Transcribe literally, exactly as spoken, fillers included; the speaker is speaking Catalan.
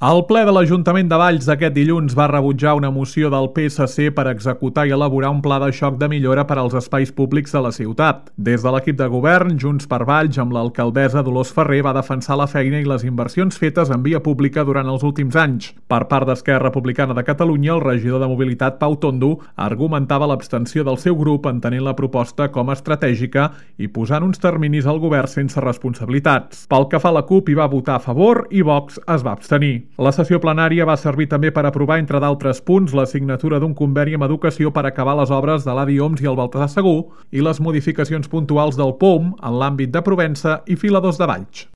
El ple de l'Ajuntament de Valls aquest dilluns va rebutjar una moció del P S C per executar i elaborar un pla de xoc de millora per als espais públics de la ciutat. Des de l'equip de govern, Junts per Valls, amb l'alcaldessa Dolors Ferrer, va defensar la feina i les inversions fetes en via pública durant els últims anys. Per part d'Esquerra Republicana de Catalunya, el regidor de Mobilitat, Pau Tondo, argumentava l'abstenció del seu grup entenent la proposta com a estratègica i posant uns terminis al govern sense responsabilitats. Pel que fa a la CUP, hi va votar a favor i Vox es va abstenir. La sessió plenària va servir també per aprovar, entre d'altres punts, la signatura d'un conveni amb Educació per acabar les obres de l'A D I O M S i el Baltasar Segur i les modificacions puntuals del P O M en l'àmbit de Provença i Filadors de Valls.